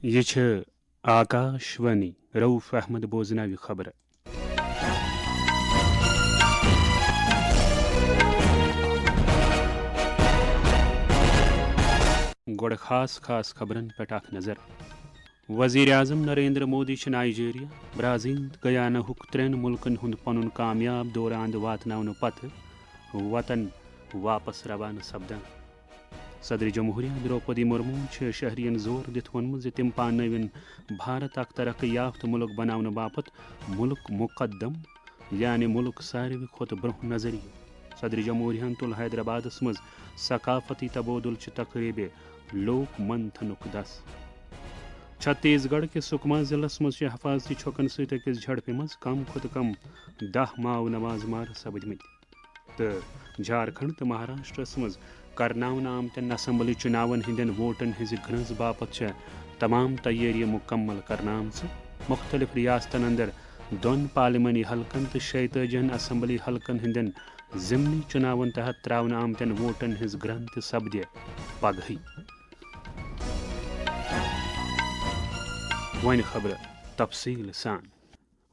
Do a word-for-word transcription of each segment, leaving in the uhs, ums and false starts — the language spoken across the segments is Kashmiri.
یہِ چھِ آکاش وانی۔ رؤف احمد بوزناوِ خبرٕ۔ گۄڈٕ خاص خاص خبرن پٮ۪ٹھ اکھ نظر۔ وزیر اعظم نریندر مودی چھُ نائیجیریا، برازیل تہٕ گیاناہُک ترٛٮ۪ن مُلکن ہُنٛد پنُن کامیاب دورٕ اند واتناونہٕ پتہٕ وطن واپس روانہٕ سپدان۔ صدر جمہوریہ دروپدی مرموہن چھِ شہرین زور دِتھ ووٚنمُت زِ تِم پاننٲوِن بھارت اکھ ترقی یافتہٕ مُلک بناونہٕ باپتھ مُلک مقدم، یعنی مُلک ساروی کھۄتہٕ برونٛہہ نظریہٕ۔ صدر جمہوریہن تُل حیدرآبادس منٛز ثقافتی تبادلہٕ چہِ تقریبہِ لوک منتھنُک دس۔ چھتیس گڑھ کِس سکما ضلعس منٛز چھِ حفاظتی چھۄکن سۭتۍ أکِس جھڑپہِ منٛز کم کھۄتہٕ کم دَہ ماؤ نواز مارٕ سپٕدمٕتۍ۔ تہٕ جھارکھنڈ تہٕ مہاراشٹرس منٛز کرناونہٕ آمتٮ۪ن اسمبلی چُناون ہٕنٛدٮ۪ن ووٹن ہٕنٛزِ گرٛنٛز باپتھ چھےٚ تمام تیٲری مُکمل کرنہٕ آمژٕ۔ مُختٔلِف ریاستن اندر دۄن پارلیمانی حلقن تہٕ شیٚیہِ تٲجی ہن اسمبلی حلقن ہٕنٛدٮ۪ن ضمنی چُناون تحت ترٛاونہٕ آمتٮ۪ن ووٹن ہٕنٛز گرٛنٛز تہِ سپدِ پگہٕے۔ وۄنۍ خبرٕ تفصیٖل سان۔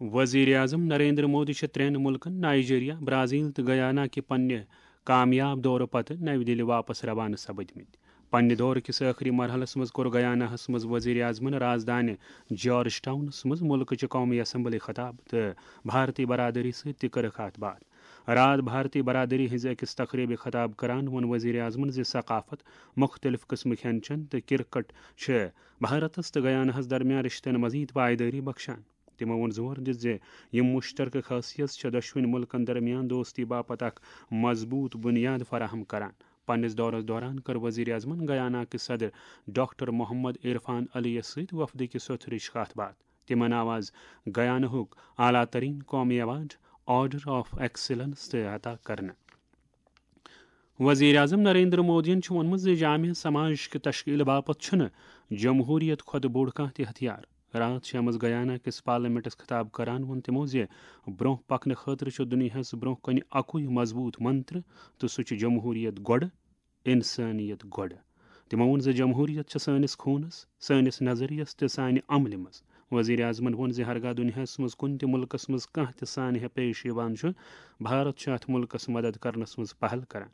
وزیر اعظم نریندر مودی چھِ ترٛٮ۪ن مُلکن نائیجیریا، برازیل تہٕ گیانا کہِ پننہِ کامیاب دورٕ پتہٕ نَوِ دِلہِ واپس روانہٕ سپٕدمٕتۍ۔ پننہِ دورٕ کِس ٲخری مرحلس منٛز کوٚر گیاناہس منٛز وزیر اعظمن رازدانہِ جارج ٹاؤنس منٛز مُلکٕچہِ قومی اسمبلی خطاب تہٕ بھارتی برادری سۭتۍ تہِ کٔرٕکھ کتھ باتھ۔ راتھ بھارتی برادری ہٕنٛزِ أکِس تقریبہِ خطاب کران ووٚن وزیر اعظمن زِ ثقافت، مُختٔلِف قٕسمٕک کھٮ۪ن چٮ۪ن تہٕ کرکٹ چھِ بھارتس تہٕ گیاناہس درمیان رشتن مزید پائیدٲری بخشان۔ تِمو ووٚن زور دِتھ زِ یِم مُشترکہٕ خٲصیژ چھِ دۄشوٕنۍ مُلکن درمیان دوستی باپتھ اکھ مضبوط بُنیاد فراہم کران۔ پننِس دورس دوران کٔر وزیر اعظمن گیانا کِس صدر ڈاکٹر محمد عرفان علی یَس سۭتۍ وفدٕکہِ سوٚتھرٕچ کتھ باتھ۔ تِمن آو از گیاناہُک اعلیٰ ترین قومی ایوارڈ آرڈر آف ایکسیلنس تہِ عطا کرنہٕ۔ وزیر اعظم نریندر مودیَن چھُ ووٚنمُت زِ جامع سماج کہِ تشکیل باپتھ چھُنہٕ جمہوریت کھۄتہٕ بوٚڑ کانٛہہ تہِ ہتھیار۔ راتھ شامس گیانا کِس پارلیمنٹس خطاب کران ووٚن تِمو زِ برونٛہہ پکنہٕ خٲطرٕ چھُ دُنیاہس برونٛہہ کنہِ اکُے مضبوط منتر، تہٕ سُہ چھُ جمہوریت گۄڈٕ، انسانیت گۄڈٕ۔ تِمو ووٚن زِ جمہوریت چھِ سٲنِس خوٗنس، سٲنِس نظریس تہٕ سانہِ عملہِ منٛز۔ وزیر اعظمن ووٚن زِ ہرگاہ دُنیاہس منٛز کُنہِ تہِ مُلکس منٛز کانٛہہ تہِ سانحہ پیش یِوان چھُ، بھارت چھُ اتھ مُلکس مدد کرنس منٛز پہل کران۔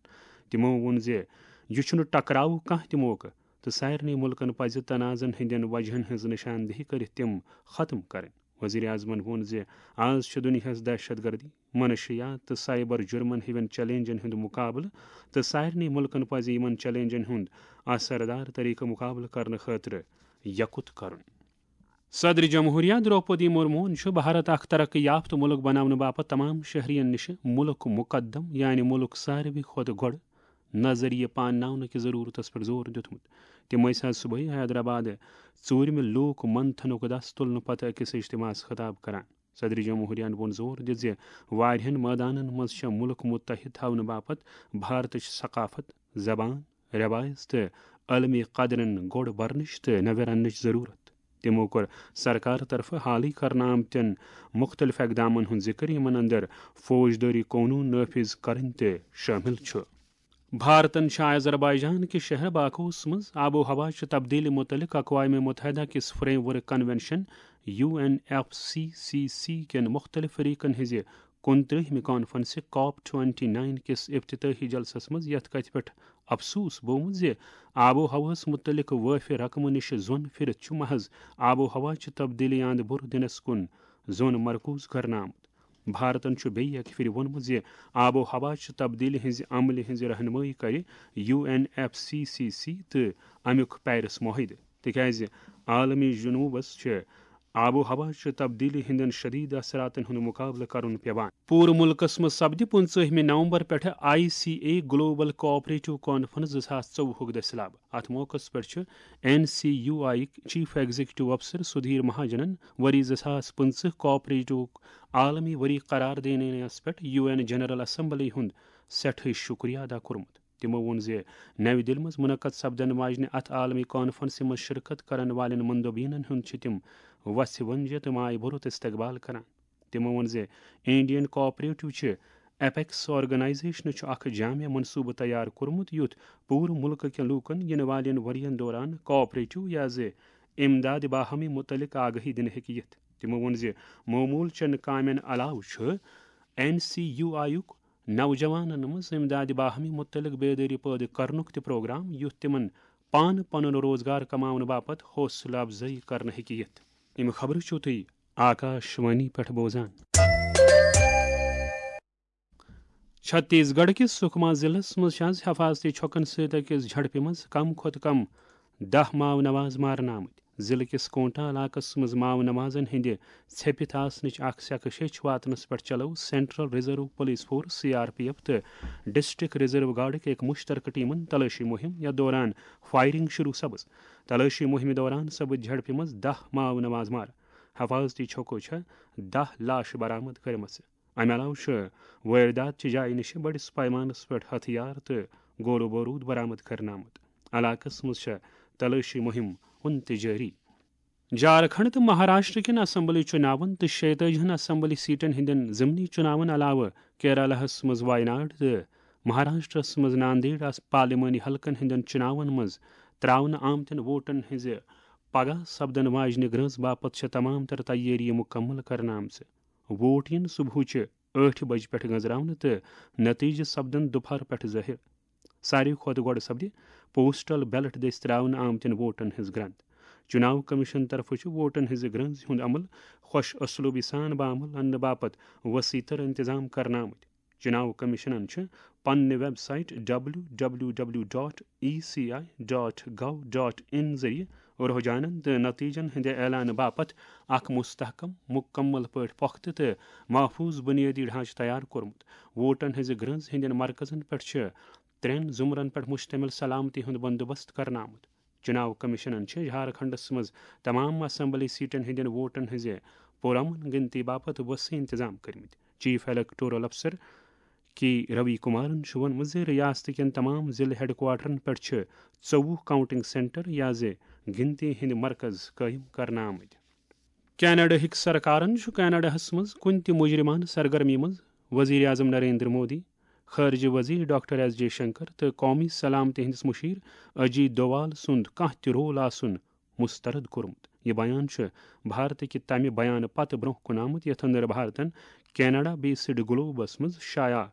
تِمو ووٚن زِ یہِ چھُنہٕ ٹکراوُک کانٛہہ تہِ موقعہٕ تہٕ سارنٕے مُلکن پزِ تنازعن ہٕنٛدٮ۪ن وجہن ہٕنٛز نشاندہی کٔرِتھ تِم ختم کرٕنۍ۔ وزیر اعظمن ووٚن زِ آز چھُ دُنیاہس دہشت گردی، منشیات تہٕ سائبر جرمن ہِوٮ۪ن چیلنجن ہُنٛد مُقابلہٕ، تہٕ سارنٕے مُلکن پزِ یِمن چیلنجن ہُنٛد اثردار طریقہٕ مُقابلہٕ کرنہٕ خٲطرٕ یکُت کرُن۔ صدر جمہوریہ دروپدی مرموہن چھُ بھارت اکھ ترقی یافتہٕ مُلک بناونہٕ باپتھ تمام شہرین نِش مُلک مقدم، یعنی مُلک ساروی کھۄتہٕ گۄڈٕ نظریہ پانناونہٕ کہِ ضرورتس پٮ۪ٹھ زور دیُتمُت۔ تِم ٲسۍ آز صبحٲے حیدرآباد ژوٗرمہِ لوک منتھنُک دس تُلنہٕ پتہٕ أکِس اجتماعس خطاب کران۔ صدر جمہوریہن ووٚن زور دِتھ زِ واریاہن مٲدانن منٛز چھےٚ مُلک متحد تھاونہٕ باپتھ بھارتٕچ ثقافت، زبان، رٮ۪وایژ تہٕ عالمی قدرن گۄڈ برنٕچ تہٕ نوِ رننٕچ ضروٗرت۔ تِمو کوٚر سرکار طرفہٕ حالٕے کرنہٕ آمتٮ۪ن مُختٔلِف اقدامن ہُنٛد ذِکر، یِمن اندر فوجدٲری قونوٗن نٲفِذ کرٕنۍ تہِ شٲمِل چھُ۔ بھارتن چھُ آذربائیجان کِس شہر باکوس منٛز آب و ہوا چہِ تبدیلی مُتعلق اقوام متحدہ کِس framework convention, U N F C C C, کٮ۪ن مُختٔلِف فریقن ہٕنٛزِ کُنترٛہمہِ کانفرنسہِ کاپ ٹوئنٹی نائن کِس افتتاحی جلسس منٛز یتھ کتھِ پٮ۪ٹھ افسوس بوومُت زِ آب و ہوہس مُتعلق وٲفہِ رقمہٕ نِش زۄن پھِرِتھ چھُ محض آب و ہوا چہِ تبدیلی اند بُر دِنس کُن زۄن مرکوز کرنہٕ آمُت۔ بھارتن چھُ بیٚیہِ اکہِ پھِرِ ووٚنمُت زِ آب و ہوا چہِ تبدیلی ہٕنٛزِ عملہِ ہٕنٛزِ رہنمٲیی کرِ U N F C C C تہٕ امیُک پیرس معاہدٕ، تِکیازِ عالمی جنوبس چھِ آب و ہوا چہِ تبدیلی ہٕنٛدٮ۪ن شدید اثراتن ہُنٛد مقابلہٕ کرُن پیوان۔ پوٗرٕ مُلکس منٛز سپدِ پٕنٛژٕہمہِ نومبر پٮ۪ٹھٕ I C A global cooperative conference زٕ ساس ژوٚوُہُک دٔسِلاب۔ اتھ موقعس پٮ۪ٹھ چھُ N C U I chief executive افسر سدھیر مہاجنن ؤری زٕ ساس پٕنٛژٕہ کوآپریٹوک عالمی ؤری قرار دینس پٮ۪ٹھ یو این جنرل اسمبلی ہُنٛد سٮ۪ٹھٕے شُکریہ ادا کوٚرمُت۔ تِمو ووٚن زِ نَوِ دِلہِ منٛز مُنعقد سپدن واجنہِ اَتھ عالمی کانفرنسہِ منٛز شرکت کرن والٮ۪ن مندوبینن ہُنٛد چھِ تِم وژھِ ونجہِ تہٕ مایہِ بھرُت استقبال کران۔ تِمو ووٚن زِ انڈین کوآپریٹو چھِ ایپیکس آرگنائزیشنہٕ چھُ اکھ جامع منصوبہٕ تیار کوٚرمُت، یُتھ پوٗرٕ مُلکہٕ کٮ۪ن لوٗکن یِنہٕ والٮ۪ن ؤرین دوران کوآپریٹو یا زِ امداد باہمی متعلق آگاہی دِنہٕ ہیٚکہِ یِتھ۔ تِمو ووٚن زِ معمول چٮ۪ن کامٮ۪ن علاوٕ چھُ این سی یو آیُک نوجوانن منٛز امداد باہمی متعلق بیدٲری پٲدٕ کرنُک تہِ پروگرام، یُتھ تِمن پانہٕ پنُن روزگار کماونہٕ باپتھ حوصلہٕ افزٲیی کرنہٕ ہیٚکہِ یِتھ۔ یِم خبرٕ چھِو تُہۍ آکاش وانی پٮ۪ٹھ بوزان۔ چھتیس گڑھ کِس سکما ضلعس منٛز چھِ آز حفاظتی چھۄکن سۭتۍ أکِس جھڑپہِ منٛز کم کھۄتہٕ کم دَہ ماو نواز مارنہٕ آمٕتۍ۔ ضلعہٕ کِس کونٹا علاقس منٛز ماو نوازن ہٕنٛدِ ژھیٚپِتھ آسنٕچ اکھ سیٚکہٕ شیٚچھ واتنس پٮ۪ٹھ چلٲو central reserve police force, C R P F, تہٕ ڈسٹرکٹ ریزرو گارڈٕکۍ أکۍ مشترکہٕ ٹیمن تلٲشی مُہِم، یتھ دوران فائرنگ شروع سپٕز۔ تلٲشی مُہِمہِ دوران سپٕدۍ جھڑپہِ منٛز دَہ ماو نواز مارٕ۔ حفاظتی چھۄکو چھےٚ دَہ لاشہٕ برآمد کٔرمٕژ۔ امہِ علاوٕ چھُ وٲردات چہِ جایہِ نِش بٔڑِس پیمانس پٮ۪ٹھ ہتھیار تہٕ گولہٕ بوروٗد برآمد کرنہٕ آمُت۔ علاقس منٛز چھےٚ تلٲشی مُہِم وُنہِ تہِ جٲری۔ جھارکھنڈ تہٕ مہاراشٹر کٮ۪ن اسمبلی چُناون تہٕ شیٚیہِ تٲجی ہن اسمبلی سیٹن ہٕنٛدٮ۪ن ضمنی چُناون علاوٕ کیرالہس منٛز وایناڈ تہٕ مہاراشٹرس منٛز ناندیڑ آس پارلیمانی حلقن ہٕنٛدٮ۪ن چُناون منٛز ترٛاونہٕ آمتٮ۪ن ووٹن ہٕنٛزِ پگاہ سپدن واجنہِ گرٛنٛز باپتھ چھےٚ تمام تر تیٲری مُکمل کرنہٕ آمژٕ۔ ووٹ یِن صبحٕچہِ ٲٹھِ بجہِ پٮ۪ٹھ گٔنزراونہٕ تہٕ نتیجہٕ سپدن دُپہر پٮ۪ٹھ ظٲہِر۔ ساروی کھۄتہٕ گۄڈٕ سپدِ پوسٹل بیلٹ دٔسۍ ترٛاونہٕ آمتٮ۪ن ووٹن ہٕنٛز گرٛنٛد۔ چُناو کمیشن طرفہٕ چھُ ووٹن ہٕنٛزِ گرٛنٛزِ ہُنٛد عمل خۄش اسلوبی سان بعمل اننہٕ باپتھ وسیع تر انتظام کرنہٕ آمٕتۍ۔ چُناو کمیشنن چھِ پننہِ website W W W dot E C I dot gov dot in ذٔریعہٕ رجحانن تہٕ نتیجن ہٕنٛدِ اعلانہٕ باپتھ اکھ مستحکم، مکمل پٲٹھۍ پۄختہٕ تہٕ محفوظ بنیٲدی ڈھانچہٕ تیار کوٚرمُت۔ ووٹن ہٕنٛزِ گرٛنٛز ہٕنٛدٮ۪ن مرکزن پٮ۪ٹھ چھِ ترٛٮ۪ن زمرن پٮ۪ٹھ مشتمل سلامتی ہُنٛد بندوبست کرنہٕ آمُت۔ چُناو کمیشنن چھِ جھارکھنڈس منٛز تمام اسمبلی سیٹن ہٕنٛدٮ۪ن ووٹن ہٕنٛزِ پُرامن گنتی باپتھ وسیع انتظام کٔرمٕتۍ۔ چیف الیکٹورل افسر کے روی کمارن چھُ ووٚنمُت زِ ریاست کٮ۪ن تمام ضلعہٕ ہیڈ کوارٹرن پٮ۪ٹھ چھِ ژوٚوُہ کاؤنٹنگ سینٹر یا زِ گنتی ہٕنٛدۍ مرکز قٲیِم کرنہٕ آمٕتۍ۔ کینیڈاہٕکۍ سرکارن چھُ کینیڈاہَس منٛز کُنہِ تہِ مجرمانہٕ سرگرمی منٛز وزیر اعظم نریندر مودی، خارجہ وزیر ڈاکٹر ایس جے شنکر تہٕ قومی سلامتی ہٕنٛدِس مشیر اجیت دووال سُنٛد کانٛہہ تہِ رول آسُن مسترد کوٚرمُت۔ یہِ بیان چھُ بھارتٕکہِ تمہِ بیانہٕ پتہٕ برٛونٛہہ کُن آمُت، یتھ اندر بھارتن کینیڈا بیسڈ گلوبس منٛز شایع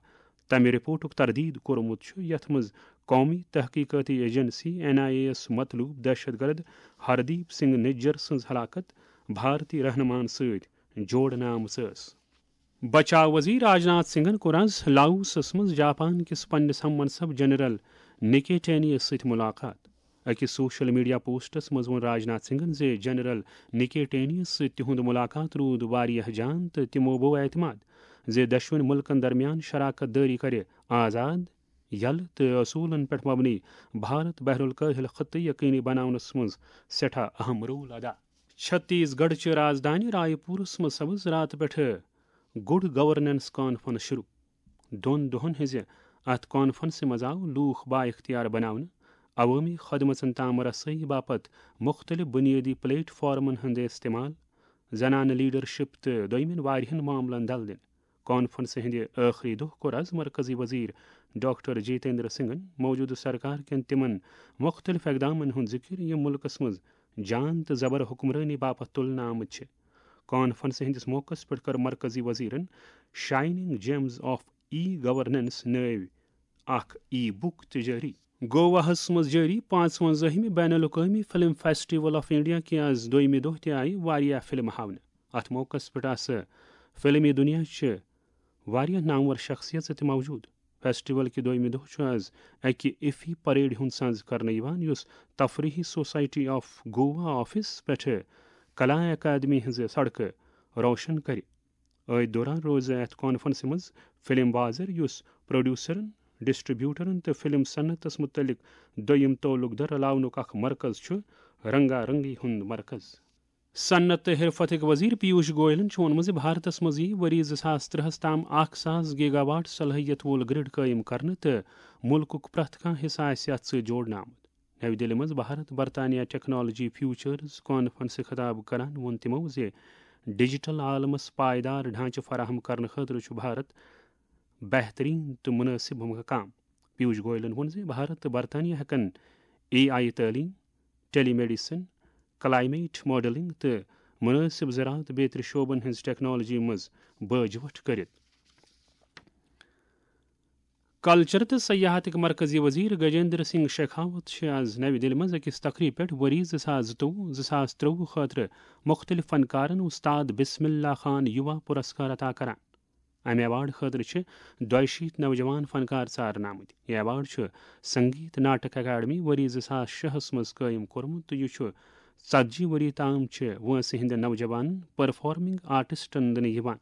تمہِ رپورٹُک تردید کوٚرمُت چھُ، یتھ منٛز قومی تحقیقاتی ایجنسی، این آئی اے یَس مطلوب دہشت گرد ہردیپ سنگھ نجر سٕنٛز ہلاکت بھارتی رہنماہن سۭتۍ جوڑنہٕ آمٕژ ٲس۔ بچاو وزیر راجناتھ سنگھن کوٚر آز لاوسس منٛز جاپان کِس پننِس ہم منصب جنرل نکیٹینیس سۭتۍ ملاقات۔ أکِس سوشل میڈیا پوسٹس منٛز ووٚن راجناتھ سنگھن زِ جنرل نکیٹینیس سۭتۍ تِہُنٛد ملاقات روٗد واریاہ جان تہٕ تِمو بوو اعتماد زِ دۄشوٕنۍ مُلکن درمیان شراکت دٲری کرِ آزاد، یلہٕ تہٕ اصوٗلن پٮ۪ٹھ مبنی بھارت بحر الکاہل خطہٕ یقینی بناونس منٛز سٮ۪ٹھاہ اہم رول ادا۔ چھتیس گڑھ چہِ رازدانہِ رائے پورس منٛز سپٕز راتہٕ پٮ۪ٹھٕ گڈ گورننس کانفرنس شروع۔ دۄن دۄہن ہٕنٛزِ اتھ کانفرنسہِ منٛز آو لوٗکھ با اختیار بناونہٕ، عوٲمی خدمژن تام رسٲیی باپتھ مُختٔلِف بُنیٲدی پلیٹ فارمن ہُنٛد استعمال، زنانہٕ لیڈرشپ تہٕ دوٚیمٮ۪ن واریاہن معاملن دل دِنہٕ۔ کانفرنسہِ ہٕنٛدِ ٲخری دۄہ کوٚر از مرکزی وزیر ڈاکٹر جتیندر سنگھن موجودٕ سرکار کٮ۪ن تِمن مُختٔلِف اقدامن ہُنٛد ذِکر، یِم مُلکس منٛز جان تہٕ زبر حکمرٲنی باپتھ تُلنہٕ آمٕتۍ چھِ۔ کانفرنسہِ ہٕنٛدِس موقعس پٮ۪ٹھ کٔر مرکزی وزیرن shining gems of E governance نٲوۍ اکھ ای بُک تہِ جٲری۔ گواہس منٛز جٲری پانٛژوَنزٲہِمہِ بین الاقوٲمی فلم فیسٹیول آف انڈیا کہِ آز دوٚیمہِ دۄہ تہِ آیہِ واریاہ فلمہٕ ہاونہٕ۔ اتھ موقعس پٮ۪ٹھ آسہٕ فلمی دُنیا چہِ واریاہ نامور شخصیژٕ تہِ موجود۔ فیسٹیول کہِ دوٚیمہِ دۄہ چھُ آز اکہِ ایفی پریڈ ہُنٛد سنز کرنہٕ یِوان، یُس تفریحی سوسائٹی آف گوا آفس پٮ۪ٹھٕ کلا اکادمی ہٕنٛزٕ سڑکہٕ روشن کرِ۔ أتھۍ دوران روزِ اتھ کانفرنسہِ منٛز فلم بازر، یُس پروڈیوسرن، ڈسٹریبیوٹرن تہٕ فلم صنعتس متعلق دوٚیم تعلق در رلاونُک اکھ مرکز چھُ، رنگا رنگی ہُنٛد مرکز۔ صنعت تہٕ حرفتٕکۍ وزیر پیوش گوئلن چھُ ووٚنمُت زِ بھارتس منٛز یِیہِ ؤری زٕ ساس ترٛہَس تام اکھ ساس گیگا واٹ صلٲحیت وول گرڈ قٲیِم کرنہٕ تہٕ مُلکُک پرٛٮ۪تھ کانٛہہ حصہٕ آسہِ اتھ سۭتۍ جوڑنہٕ آمُت۔ نَوِ دِلہِ منٛز بھارت برطانیہ ٹیکنالوجی فیوچرز کانفرنسہِ خطاب کران ووٚن تِمو زِ ڈیجیٹل عالمس پائیدار ڈھانچہٕ فراہم کرنہٕ خٲطرٕ چھُ بھارت بہترین تہٕ مناسب مقام۔ پیوش گوئلن ووٚن زِ بھارت تہٕ برطانیہ ہٮ۪کن اے آئی تعلیٖم، ٹیلی میڈیسن، کلائمیٹ ماڈلنگ تہٕ مناسب زراعت بیترِ شعبن ہٕنٛز ٹیکنالوجی منٛز باجوٹھ کٔرِتھ۔ کلچر تہٕ سیاحتٕکۍ مرکزی وزیر گجیندر سنگھ شیخاوت چھِ آز نَوِ دِلہِ منٛز أکِس تقریٖبہِ پٮ۪ٹھ ؤری زٕ ساس زٕتووُہ، زٕ ساس ترٛوٚوُہ خٲطرٕ مُختٔلِف فنکارن استاد بسم اللہ خان یُوا پُرسکار عطا کران۔ امہِ ایوارڈ خٲطرٕ چھِ دۄیہِ شیٖتھ نوجوان فنکار ژارنہٕ آمٕتۍ۔ یہِ ایوارڈ چھُ سنگیت ناٹک اکیڈمی ؤری زٕ ساس شےٚ ہَس منٛز قٲیِم کوٚرمُت تہٕ یہِ چھُ ژتجی ؤری تام چھِ وٲنٛسہِ ہٕنٛدٮ۪ن نوجوانن پرفارمنگ آرٹسٹن دِنہٕ یِوان۔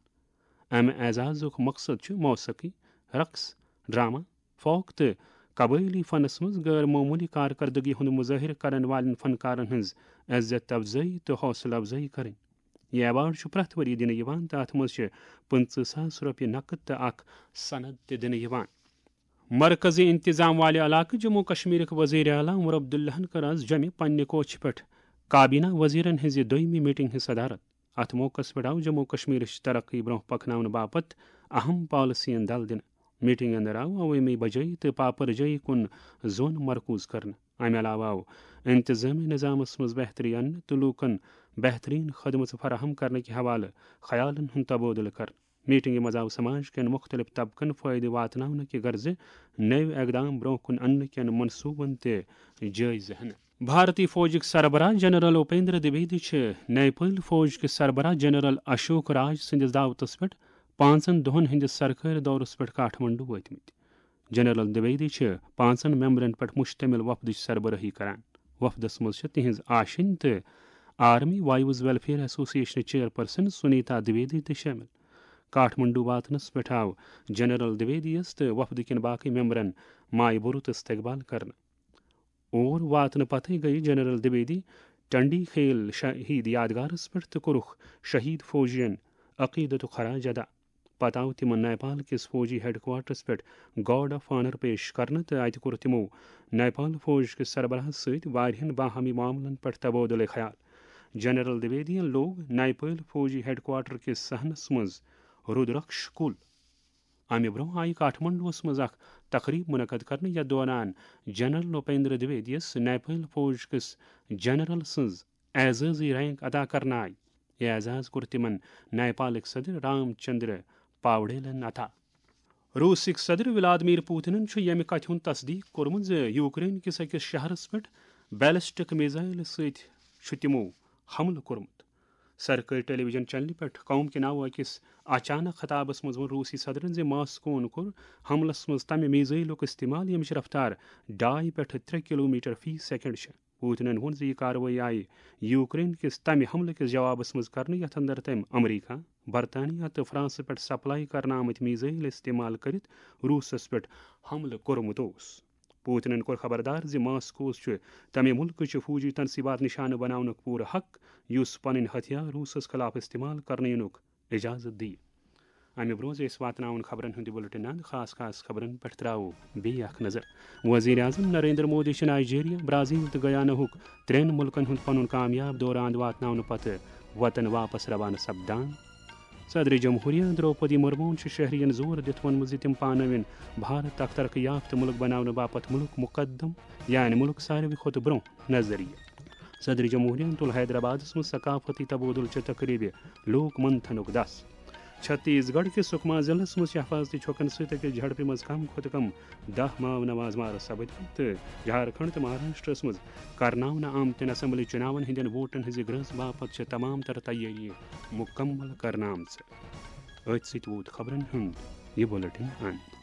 امہِ اعزازُک مقصد چھُ موسیقی، رقص، ڈرامہ، فوک تہٕ قبٲئلی فنس منٛز غٲر معموٗلی کارکردگی ہُنٛد مظٲہرٕ کرن والٮ۪ن فنکارن ہٕنٛز عزت افزٲیی تہٕ حوصلہٕ افزٲیی کرٕنۍ۔ یہِ ایوارڈ چھُ پرٛٮ۪تھ ؤری دِنہٕ یِوان تہٕ اتھ منٛز چھِ پٕنٛژٕہ ساس رۄپیہِ نقد تہٕ اکھ سند تہِ دِنہٕ یِوان۔ مرکزی انتظام والہِ علاقہٕ جموں کشمیرٕکۍ وزیر اعلیٰ عمر عبداللہن کٔر آز جوٚمہِ پننہِ کوچھِ پٮ۪ٹھ کابینہ وزیرن ہٕنٛزِ دوٚیمہِ میٹنگ ہٕنٛز صدارت۔ اتھ موقعس پٮ۪ٹھ آو جموں کشمیرٕچ ترقی برونٛہہ پکناونہٕ باپتھ اہم پالیسین دل دِنہٕ۔ میٹنگ اندر آو عوٲمی بجٲیی تہٕ پاپرجٲیی کُن زون مرکوز کرنہٕ۔ امہِ علاوٕ آو انتظامی نظامس منٛز بہتری اننہٕ تہٕ لوٗکن بہتریٖن خدمژٕ فراہم کرنہٕ کہِ حوالہٕ خیالن ہُنٛد تبادلہٕ کرنہٕ۔ میٹنگہِ منٛز آو سماج کٮ۪ن مُختٔلِف طبقن فٲیدٕ واتناونہٕ کہِ غرضہٕ نٔوۍ اقدام برونٛہہ کُن اننہٕ کٮ۪ن منصوٗبن تہِ جٲیزٕ ہٮ۪نہٕ۔ بھارتی فوجٕکۍ سربراہ جنرل اپیندر دویدی چھِ نیپٲلۍ فوج کِس سربراہ جنرل اشوک راج سٕنٛدِس دعوتس پٮ۪ٹھ پانٛژن دۄہن ہٕنٛدِس سرکٲرۍ دورس پٮ۪ٹھ کاٹھمنڈو وٲتمٕتۍ۔ جنرل دویدی چھِ پانٛژن ممبرن پٮ۪ٹھ مشتمل وفدٕچ سربرٲہی کران۔ وفدس منٛز چھِ تِہنٛز آشِنۍ تہٕ آرمی وائیوز ویلفیئر ایسوسیشنٕچ چیئرپرسن سنیتا دویدی تہِ شٲمِل۔ کاٹھمنڈو واتنس پٮ۪ٹھ آو جنرل دویدی یس تہٕ وفدٕ کٮ۪ن باقٕے ممبرن مایہِ بھرُت استقبال کرنہٕ۔ اور واتنہٕ پتھٕے گٔیہِ جنرل دویدی ٹنڈی خیل شہید یادگارس پٮ۪ٹھ تہٕ کوٚرُکھ شہید فوجین عقیدتُک خراج ادا۔ پتہٕ آو تِمن نیپال کِس فوجی ہیڈ کوارٹرس پٮ۪ٹھ گارڈ آف آنر پیش کرنہٕ تہٕ اتہِ کوٚر تِمو نیپال فوج کِس سربراہس سۭتۍ واریاہن باہمی معاملن پٮ۪ٹھ تبادلہٕ خیال۔ جنرل دویدین لوگ نیپال فوجی ہیڈ کوارٹر کِس صحنس منٛز رودرکش کُل۔ امہِ برونٛہہ آیہِ کاٹھمنڈوس منٛز اکھ تقریب منعقد کرنہٕ، یتھ دوران جنرل اپیندر دویدیس نیپال فوج کِس جنرل سٕنٛز اعزازی رینک عطا کرنہٕ آیہِ۔ یہِ اعزاز کوٚر تِمن نیپالٕکۍ صدر رام چندر پاوڈیلن عطا۔ روسٕکۍ صدر ولادمیر پوتنن چھُ ییٚمہِ کتھِ ہُنٛد تصدیق کوٚرمُت زِ یوکرین کِس أکِس شہرس پٮ۪ٹھ بیلسٹک میزائل سۭتۍ چھُ تِمو حملہٕ کوٚرمُت۔ سرکٲرۍ ٹیلی ویژن چینلہِ پٮ۪ٹھ قوم کے ناو أکِس اچانک خطابس منٛز ووٚن روسی صدرن زِ ماسکوہن کوٚر حملس منٛز تمہِ میزائلُک استعمال، ییٚمِچ رفتار ڈاے پٮ۪ٹھ ترٛےٚ کلومیٹر فی سیکنڈ چھِ۔ پوتنن ووٚن زِ یہِ کاروٲیی آیہِ یوکرین کِس تمہِ حملہٕ کِس جوابس منٛز کرنہٕ، یتھ اندر تٔمۍ امریکہ، برطانیہ تہٕ فرانسہٕ پٮ۪ٹھ سپلائی کرنہٕ آمٕتۍ میزائل استعمال کٔرِتھ روسس پٮ۪ٹھ حملہٕ کوٚرمُت اوس۔ پوتنن کوٚر خبردار زِ ماسکوس چھُ تمہِ مُلکہٕ چہِ فوجی تنصیبات نشانہٕ بناونُک پوٗرٕ حق، یُس پنٕنۍ ہتھیار روسس خلاف استعمال کرنہٕ یِنُک اجازت دِیہِ۔ امہِ برونٛہہ زِ أسۍ واتناوون خبرن ہُنٛد یہِ بُلٹن اند، خاص خاص خبرن پٮ۪ٹھ ترٛاوو بیٚیہِ اکھ نظر۔ وزیر اعظم نریندر مودی چھُ نائیجیریا، برازیل تہٕ گیاناہُک ترٛٮ۪ن مُلکن ہُنٛد پنُن کامیاب دورٕ اند واتناونہٕ پتہٕ وطن واپس روانہٕ سپدان۔ صدر جمہوریہ درٛوپدی مرموہن چھُ شہرین زور دِتھ ووٚنمُت زِ تِم پانہٕ ؤنۍ بھارت اکھ ترقی یافتہٕ مُلک بناونہٕ باپتھ مُلک مقدم، یعنی مُلک ساروی کھۄتہٕ برونٛہہ نظریہ۔ صدر جمہوریہن تُل حیدرآبادس منٛز ثقافتی تبادلہٕ چہِ تقریبہِ لوک منتھنُک دس۔ چھتیس گڑھ کِس سکما ضلعس منٛز چھِ حفاظتی چھوکن سۭتۍ أکِس جھڑپہِ منٛز کم کھۄتہٕ کم دَہ ماو نواز مارٕ سپٕدمٕتۍ تہٕ جھارکھنڈ تہٕ مہاراشٹرس منٛز کرناونہٕ آمتٮ۪ن اسمبلی چُناون ہٕنٛدٮ۪ن ووٹن ہٕنٛزِ گرٛنٛز باپتھ چھِ تمام تر تیٲری مُکمل کرنہٕ آمژٕ۔ أتھۍ سۭتۍ ووت خبرن ہُنٛد یہِ بُلٹن اند۔